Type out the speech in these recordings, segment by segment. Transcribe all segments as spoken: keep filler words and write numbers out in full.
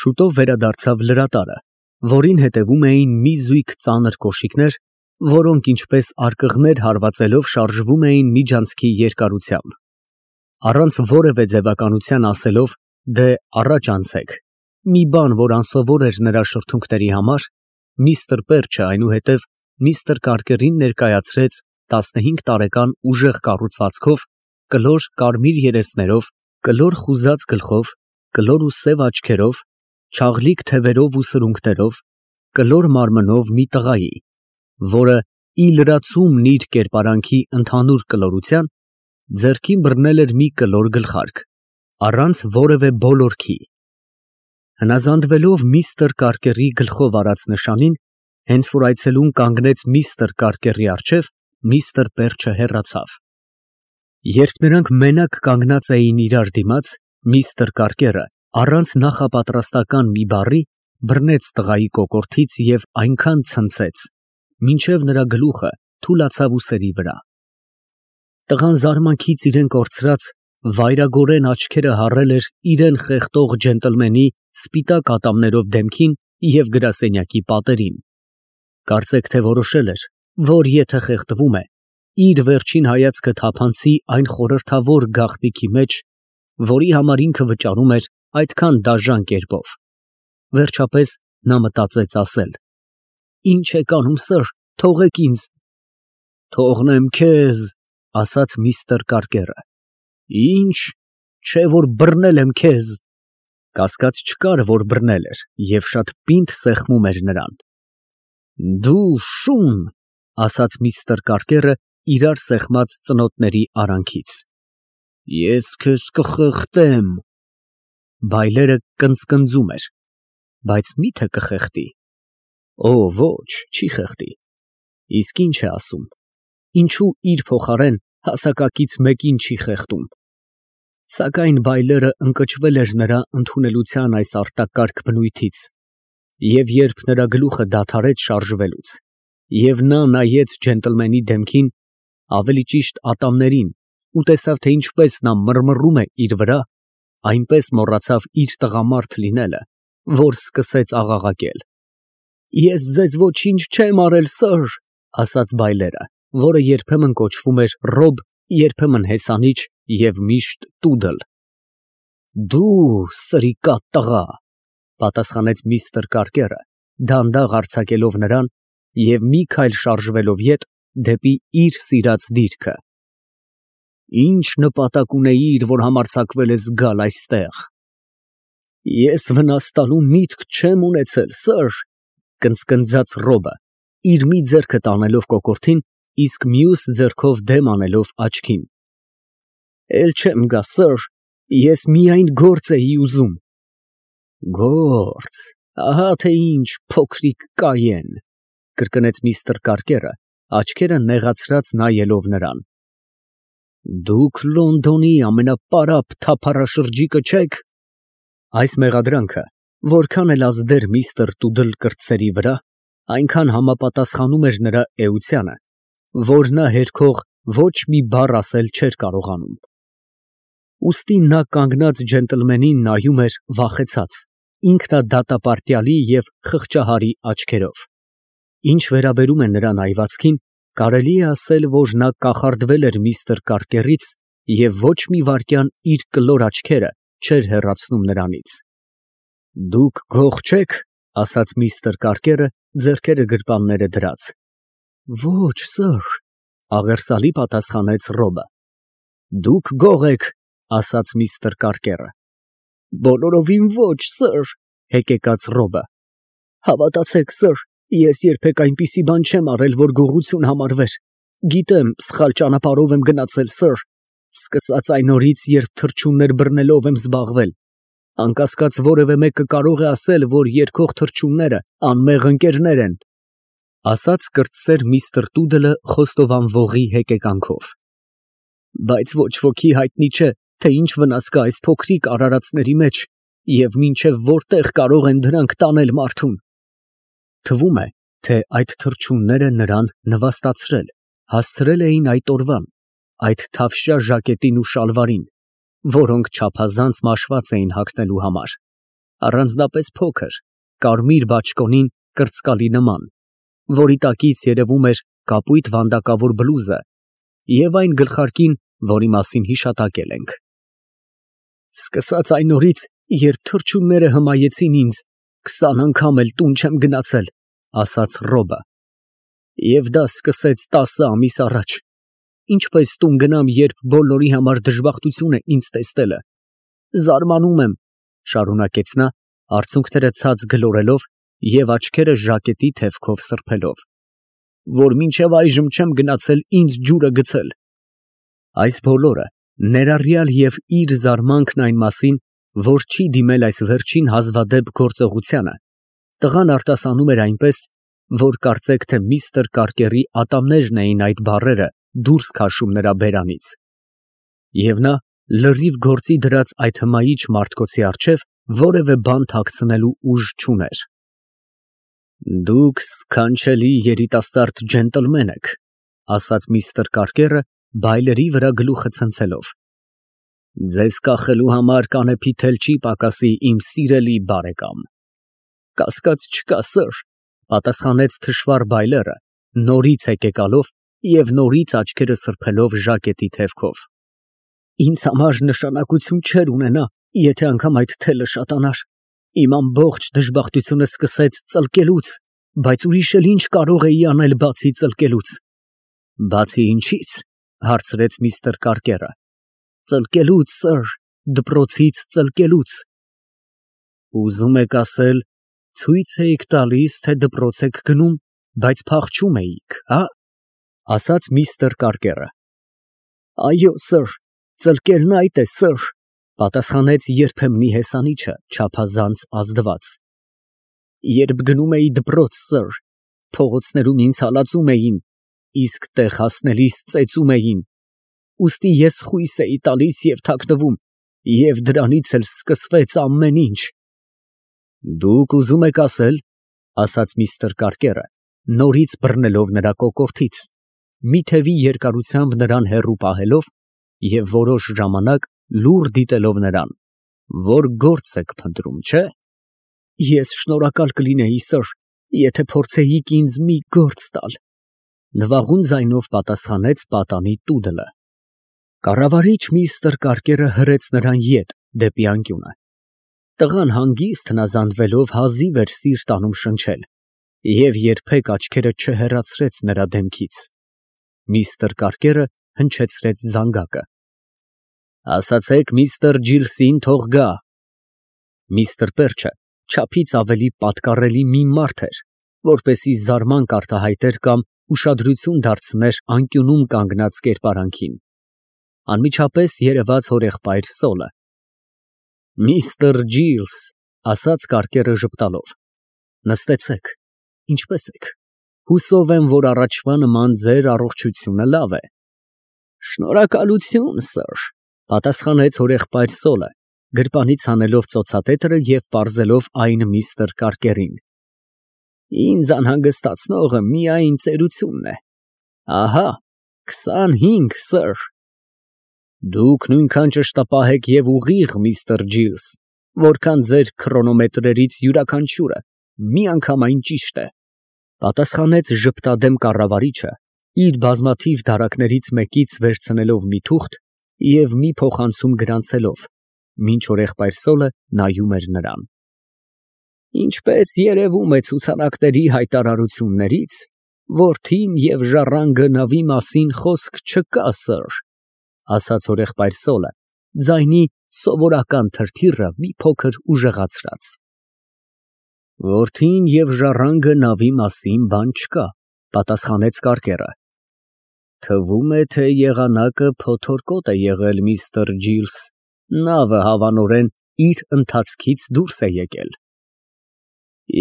Շուտով վերադարձավ լրատարը, որին հետևում էին մի զույգ ծանր կոշիկներ, որոնք ինչպես արկղներ հարվածելով շարժվում էին միջանցքի երկարությամբ, առանց որևէ ձևականության ասելով, դե առաջ անցեք, մի բան, որ անսովոր էր նրա շրթունքների համար, միստր Պերչը այնուհետև միստր Կարկերին ներկայացրեց տասնհինգ տարեկան ուժեղ կառուցվածքով, կլոր կարմիր երեսներով, կլոր խուզած գլխով, կլոր ու սև աչքերով, չաղլիկ թևերով ու սրունքներով, կլոր մարմնով մի տղայի, որը ի լրացումն իր կերպարանքի ընդհանուր կլորության, ձեռքին բռնել էր մի կլոր գլխարկ, առանց որևէ բոլորքի։ Հնազանդվելով միստր Կարկերի գլխով արած նշանին, հենց որ այցելուն կանգնեց միստր Կարկերի առջև, միստր Պերչը հեռացավ։ Երբ նրանք մենակ կանգնած էին իրար դիմաց, միստր Կարկերը առանց նախապատրաստական մի բառի բռնեց տղայի կոկորդից և այնքան ցնցեց, մինչև նրա գլուխը թուլացավ ուսերի վրա։ Տղան զարմանքից իրեն կորցրած, վայրագորեն աչքերը հառել էր իրան խեղդող ջենտլմենի սպիտակ ատամներով դեմքին և գրասենյակի պատերին։ Կարծեք թե որոշել էր, որ եթե խեղդվում է, իր վերջին հայացքը թափանցի այն խորհրդավոր գաղտնիքի մեջ, որի համար ինքը վճարում էր այդքան դաժան կերպով։ Վերջապես նա մտածեց ասել. «Ինչ եք անում, սըր, թողեք ինձ»։ «Թողնեմ քեզ», ասաց միստր Կարկերը։ «Ինչ, չէ որ բռնել եմ քեզ»։ Կասկած չկար, որ բռնել էր և շատ պինդ սեղմում էր նրան։ «Դու շուն», ասաց միստր Կարկերը իրար սեղմած ծնոտների արանքից։ «Ես քեզ կխեղդեմ»։ Բայլերը կնծկնծում էր, բայց մի՞թե կխեղդի։ Օ, ոչ, չի խեղդի։ Իսկ ինչ է ասում, ինչու իր փոխարեն հասակակից մեկին չի խեղդում։ Սակայն բայլերը ընկճվել էր նրա ընդունելության այս արտակարգ բնույթից, և երբ նրա գլուխը դադարեց շարժվելուց, և նա նայեց ջենտլմենի դեմքին, ավելի ճիշտ ատամներին, ու տեսավ, թե ինչպես նա մռմռում է իր վրա, այնպես մոռացավ իր տղամարդ լինելը, որ սկսեց աղաղակել։ «Ես ձեզ ոչինչ չեմ արել, սըր», ասաց բայլերը, որը երբեմն կոչվում էր Ռոբ, երբեմն հեսանիչ և միշտ տուդլ։ «Դու սրիկատ տղա», պատասխանեց միստր Կարկերը, դանդաղ արձակելով նրան և մի քայլ շարժվելով ետ դեպի իր սիրած դիրքը։ «Ի՞նչ նպատակ ունեիր, որ համարձակվել ես գալ այստեղ»։ «Ես վնաս տալու միտք չեմ ունեցել, սըր», կնծկնծաց Ռոբը, իր մի ձեռքը տանելով կոկորդին, իսկ մյուս ձեռքով դեմ անելով աչքին։ «Էլ չեմ գա, սըր, ես միայն գործ էի ուզում»։ «Գործ, ահա թե ինչ, փոքրիկ կայեն», կրկնեց միստր Կարկերը, աչքերը նեղացրած նայելով նրան։ «Դուք Լոնդոնի ամենապարապ թափառաշրջիկը չեք»։ Այս մեղադրանքը, որքան էլ ազդեր միստր Տուդլ կրտսերի վրա, այնքան համապատասխանում էր նրա էությանը, որ նա հերքող ոչ մի բառ ասել չէր կարողանում։ Ուստի նա կանգնած ջենտլմենին նայում էր վախեցած, ինքնադատապարտյալի և խղճահարի աչքերով։ Ինչ վերաբերում է նրա նայվածքին, կարելի է ասել, որ նա կախարդվել էր միստր Կարկերից և ոչ մի վայրկյան իր կլոր աչքերը չէր հեռացնում նրանից։ «Դուք գող չե՞ք», ասաց միստր Կարկերը, ձեռքերը գրպանները դրած։ «Ոչ, սըր», աղերսալի պատասխանեց Ռոբը։ «Դուք գող եք», ասաց միստր Կարկերը։ «Բոլորովին ոչ, սըր», հեկեկաց Ռոբը։ «Հավատացեք, սըր, ես երբեք այնպիսի բան չեմ արել, որ գողություն համարվեր։ Գիտեմ, սխալ ճանապարհով եմ գնացել, սըր, սկսած այն օրից, երբ թռչուններ բռնելով եմ զբաղվել։ Անկասկած որևէ մեկը կարող է ասել, որ երգող թռչունները անմեղ ընկերներ են», ասաց կրտսեր միստր Տուդլը խոստովանվողի հեկեկանքով։ «Բայց ոչ ոքի հայտնի չէ, թե ինչ վնաս կա այս փոքրիկ արարածների մեջ և մինչև որտեղ կարող են դրանք տանել մարդուն»։ Թվում է, թե այդ թռչունները նրան նվաստացրել, հասցրել էին այդ օրվան, այդ թավշյա ժակետին ու շալվարին, որոնք չափազանց մաշված էին հագնելու համար, առանձնապես փոքր, կարմիր բաճկոնին կրծկալի նման, որի տակից երևում էր կապույտ վանդակավոր բլուզը և այն գլխարկին, որի մասին հիշատակել ենք։ Սկսած այն օրից, երբ թռչունները հմայեցին ինձ, քսան անգամ էլ տուն չեմ գնացել, ասաց Ռոբը, և դա սկսեց տասը ամիս առաջ։ Ինչպես տուն գնամ, երբ բոլորի համար դժբախտություն է ինձ տեսնելը։ Զարմանում եմ, շարունակեց նա, արցունքները ցած գլորելով և աչքերը ժակետի թևքով սրբելով, որ մինչև այժմ չեմ գնացել ինձ ջուրը գցել։ Այս բոլորը, ներառյալ և իր զարմանքն այն մասին, որ չի դիմել այս վերջին հազվադեպ գործողությանը, տղան արտասանում էր այնպես, որ կարծեք թե միստր Կարկերի ատամներն էին այդ բառերը դուրս քաշում նրա բերանից։ Եվ նա լրիվ գործի դրած այդ հմայիչ մարդկոցի առջև որևէ բան թաքցնելու ուժ չուներ։ Դուք սքանչելի երիտասարդ ջենտլմեն եք, ասաց միստր Կարկերը, բայլերի վրա գլուխը ցնցելով։ Ձեզ կախելու համար կանեփիդ էլ չի պակասի, իմ սիրելի բարեկամ։ Կասկած չկա, սըր, պատասխանեց թշվառ բայլերը, նորից հեկեկալով և նորից աչքերը սրբելով ժակետի թևքով։ Ինձ համար նշանակություն չէր ունենա, եթե անգամ այդ թելը շատանար։ Իմ ամբողջ դժբախտությունը սկսեց ծլկելուց, բայց ուրիշ էլ ինչ կարող էի անել, բացի ծլկելուց։ Բացի ինչից, հարցրեց միստր Կարկերը։ Ծլկելուց, սըր, դպրոցից ծլկելուց։ Ուզում եք ասել, ցույց էիք տալիս, թե դպրոց եք գնում, բայց փախչում էիք, հա՞, ասաց միստր Կարկերը։ Այո, սըր, ծլկելն այդ է, սըր, պատասխանեց երբեմնի հեսանիչը, չափազանց ազդված։ Երբ գնում էի դպրոց, սըր, փողոցներում ինձ հալածում էին, իսկ տեղ հասնելիս ծեծում էին, ուստի ես խույս էի տալիս և թաքնվում, և դրանից էլ սկսվեց ամեն ինչ։ Դուք ուզում եք ասել, ասաց միստր Կարկերը, նորից բռնելով նրա կոկորդից, մի թևի երկարությամբ նրան հեռու պահելով և որոշ ժամանակ լուռ դիտելով նրան, որ գործ եք փնտրում, չէ՞։ Ես շնորհակալ կլինեի, սըր, եթե փորձեիք ինձ մի գործ տալ, նվաղուն ձայնով պատասխանեց պատանի տուդլը։ Կառավարիչ միստր Կարկերը հրեց նրան ետ դեպի անկյունը։ Տղան հանգիստ հնազանդվելով հազիվ էր սիրտ անում շնչել և երբեք աչքերը չհեռացրեց նրա դեմքից։ Միստր Կարկերը հնչեցրեց զանգակը։ Ասացեք միստր Ջիլսին թող գա։ Միստր Պերչը չափից ավելի պատկառելի մի մարդ էր, որպեսզի զարմանք արտահայտեր կամ ուշադրություն դարձներ անկյունում կանգնած կերպարանքին։ Անմիջապես երևաց հորեղբայր Սոլը։ Միստր Ջիլս, ասաց Կարկերը ժպտալով, նստեցեք, ինչպե՞ս եք։ Հուսով եմ, որ առաջվա նման ձեր առողջությունը լավ է։ Շնորհակալություն, սըր, պատասխանեց հորեղբայր Սոլը, գրպանից հանելով ծոցատետրը և պարզելով այն միստր Կարկերին։ Ինձ անհանգստացնողը միայն ծերությունն է։ Ահա, քսանհինգ, սըր։ Դուք նույնքան ճշտապահ եք և ուղիղ, միստր Ջիլս, որքան ձեր քրոնոմետրերից յուրաքանչյուրը, միանգամայն ճիշտ է, պատասխանեց ժպտադեմ կառավարիչը, իր բազմաթիվ դարակներից մեկից վերցնելով մի թուղթ և մի փոխանցում գրանցելով, մինչ հորեղբայր Սոլը նայում էր նրան։ Ինչպես երևում է ցուցանակների հայտարարություններից, որդին և ժառանգը նավի մասին խոսք չկա, սըր, ասաց հորեղբայր Սոլը, ձայնի սովորական թրթիռը մի փոքր ուժեղացրած։ Որդին և ժառանգը նավի մասին բան չկա, պատասխանեց Կարկերը։ Թվում է, թե եղանակը փոթորկոտ է եղել, միստր Ջիլս, նավը հավանորեն իր ընթացքից դուրս է եկել։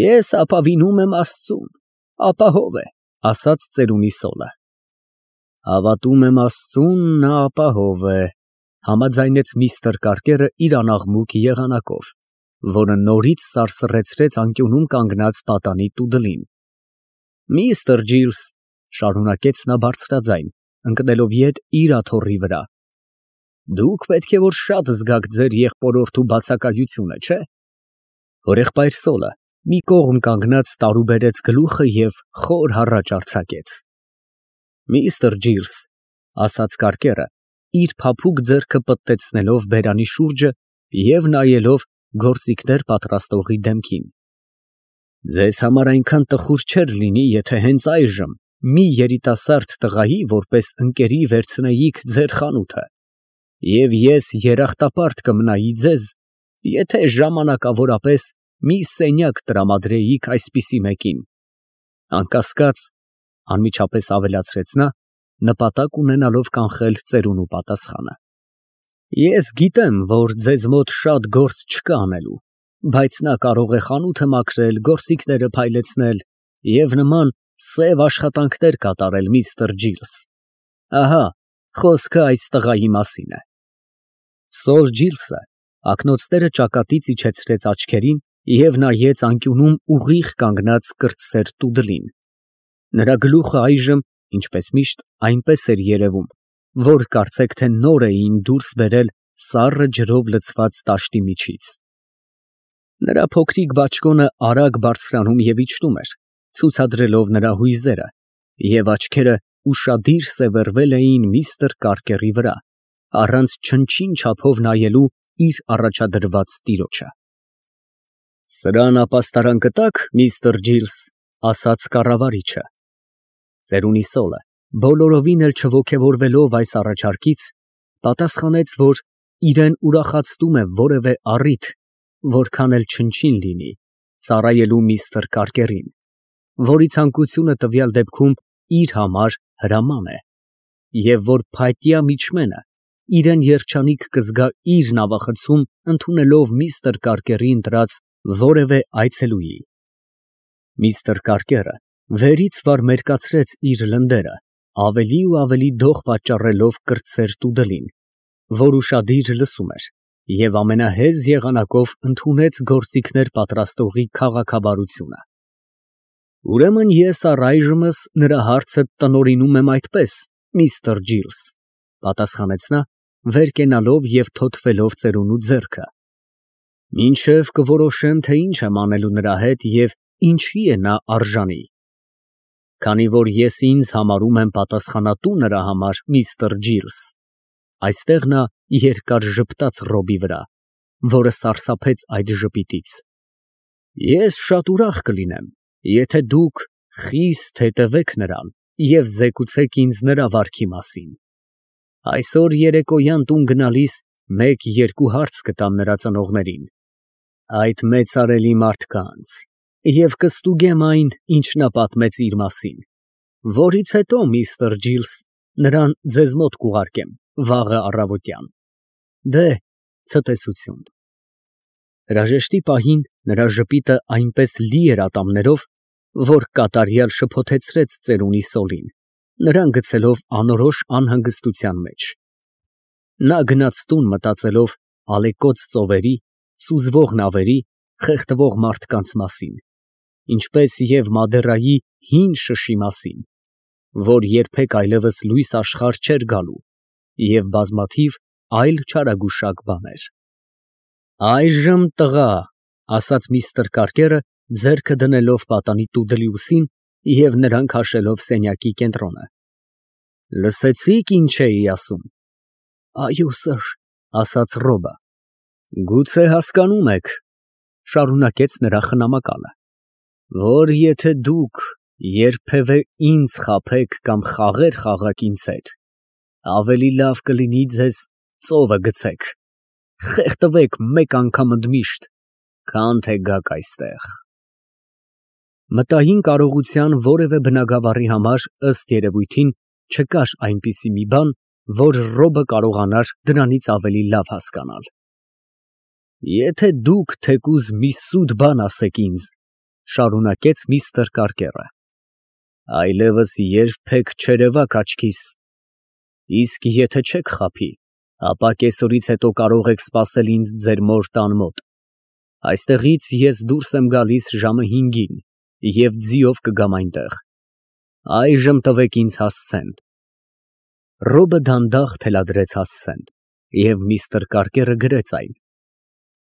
Ես ապավինում եմ Աստծուն, ապահով է, ասաց ծերունի Սոլը։ Հավատում եմ Աստծուն, նա ապահով է, համաձայնեց միստր Կարկերը իր անաղմուկ եղանակով, որը նորից սարսռեցրեց անկյունում կանգնած պատանի տուդլին։ Միստր Ջիլս, շարունակեց նա բարձրաձայն, ընկնելով ետ իր աթոռի վրա, դուք պետք է որ շատ զգաք ձեր եղբորորդու բացակայությունը, չէ՞։ որ եղբայր Սոլը մի կողմ կանգնած տարուբերեց գլուխը և խոր հառաչ արձակեց։ Միստր Ջիլս, ֊ ասաց կարկերը, իր փափուկ ձեռքը պտտեցնելով բերանի շուրջը և նայելով գործիքներ պատրաստողի դեմքին, ֊ ձեզ համար այնքան տխուր չէր լինի, եթե հենց այժմ մի երիտասարդ տղայի որպես ընկերի վերցնեիք ձեր խանութը, և ես երախտապարտ կմնայի ձեզ, եթե ժամանակավորապես մի սենյակ տրամադրեիք այսպիսի մեկին, անկասկած, ֊ անմիջապես ավելացրեց նա, նպատակ ունենալով կանխել ծերունու պատասխանը, ես գիտեմ, որ ձեզ մոտ շատ գործ չկա անելու, բայց նա կարող է խանութը մաքրել, գործիքները փայլեցնել և նման սև աշխատանքներ կատարել, միստր Ջիլս, ահա խոսքը այս տղայի մասին է։ Սոլ Ջիլսը ակնոցները ճակատից իջեցրեց աչքերին և նայեց անկյունում ուղիղ կանգնած կրտսեր տուդլին. նրա գլուխը այժմ, ինչպես միշտ, այնպես էր երևում, որ կարծեք թե նոր էին դուրս բերել սառը ջրով լցված տաշտի միջից։ Նրա փոքրիկ բաճկոնը արագ բարձրանում և իջնում էր, ցուցադրելով նրա հույզերը, և աչքերը ուշադիր սևեռվել էին միստր Կարկերի վրա, առանց չնչին չափով նայելու իր առաջադրված տիրոջը։ Սրան ապաստարան կտա՞ք, միստր Ջիլս, ֊ ասաց կառավարիչը։ Ծերունի Սոլը, բոլորովին էլ չոգևորվելով այս առաջարկից, պատասխանեց, որ իրան ուրախացնում է որևէ առիթ, որքան էլ չնչին լինի, ծառայելու միստր Կարկերին, որի ցանկությունը տվյալ դեպքում իր համար հրաման է, և որ փայտյա միջմենը իրան երջանիկ կզգա իր նավախցում ընդունելով միստր Կարկերի ընտրած որևէ այցելուի։ Միստր Կարկերը վերից վար մերկացրեց իր լնդերը, ավելի ու ավելի դող պատճառելով կրտսեր տուդլին, որ ուշադիր լսում էր, և ամենահեզ եղանակով ընդունեց գործիքներ պատրաստողի քաղաքավարությունը։ Ուրեմն ես առայժմս նրա հարցը տնօրինում եմ այդպես, միստր Ջիլս, ֊ պատասխանեց նա, վեր կենալով և թոթվելով ծերունու ձեռքը, մինչև կորոշեմ, թե ինչ եմ անելու նրա հետ և ինչի է նա արժանի։ Քանի որ ես ինձ համարում եմ պատասխանատու նրա համար, միստր Ջիլս, այստեղ նա երկար ժպտաց Ռոբի վրա, որը սարսափեց այդ ժպիտից, ես շատ ուրախ կլինեմ, եթե դուք խիստ հետևեք նրան և զեկուցեք ինձ նրա վարքի մասին։ Այսօր երեկոյան տուն գնալիս մեկ֊երկու հարց կտամ նրա ծնողներին, այդ մեծարելի մարդկանց, և կստուգեմ այն, ինչ նա պատմեց իր մասին, որից հետո, միստր Ջիլս, նրան ձեզ մոտ կուղարկեմ վաղը առավոտյան։ Դե, ցտեսություն։ Հրաժեշտի պահին նրա ժպիտը այնպես լի էր ատամներով, որ կատարյալ շփոթեցրեց ծերունի Սոլին, նրան գցելով անորոշ անհանգստության մեջ։ Նա գնաց տուն մտածելով ալեկոծ ծովերի, սուզվող նավերի, խեղդվող մարդկանց մասին, ինչպես և Մադերայի հին շշի մասին, որ երբեք այլևս լույս աշխարհ չէր գալու, և բազմաթիվ այլ չարագուշակ բաներ։ Այժմ, տղա, ֊ ասաց միստր Կարկերը, ձեռքը դնելով պատանի տուդլի ուսին և նրան քաշելով սենյակի կենտրոնը, ֊ լսեցի՞ք, ինչ էի ասում։ Այո, սըր, ֊ ասաց Ռոբը։ Գուցե հասկանում եք, ֊ շարունակեց նրա խնամակալը, որ եթե դուք երբևէ ինձ խաբեք կամ խաղեր խաղաք ինձ հետ, ավելի լավ կլինի ձեզ ծովը գցեք, խեղդվեք մեկ անգամ ընդմիշտ, քան թե գաք այստեղ։ Մտային կարողության որևէ բնագավառի համար, ըստ երևույթին, չկար այնպիսի մի բան, որ Ռոբը կարողանար դրանից ավելի լավ հասկանալ։ Եթե դուք թեկուզ մի սուտ բան ասեք ինձ, ֊ շարունակեց միստր Կարկերը, ֊ այլևս երբեք չերևաք աչքիս, իսկ եթե չեք խաբի, ապա կեսօրից հետո կարող եք սպասել ինձ ձեր մոր տան մոտ, այստեղից ես դուրս եմ գալիս ժամը հինգին և ձիով կգամ այնտեղ, այժմ տվեք ինձ հասցեն։ Ռոբը դանդաղ թելադրեց հասցեն, և միստր Կարկերը գրեց այն։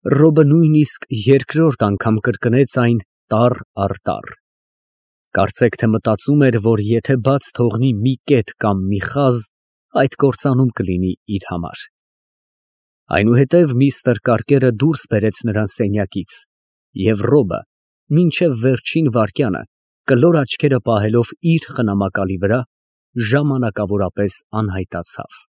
Ռոբը նույնիսկ երկրորդ անգամ կրկնեց այն տառ առ տառ. կարծեք թե մտածում էր, որ եթե բաց թողնի մի կետ կամ մի խազ, այդ կործանում կլինի իր համար։ Այնուհետև միստր Կարկերը դուրս բերեց նրան սենյակից, և Ռոբը մինչև վերջին վայրկյանը, կլոր աչքերը պահելով իր խնամակալի վրա, ժամանակավորապես անհայտացավ։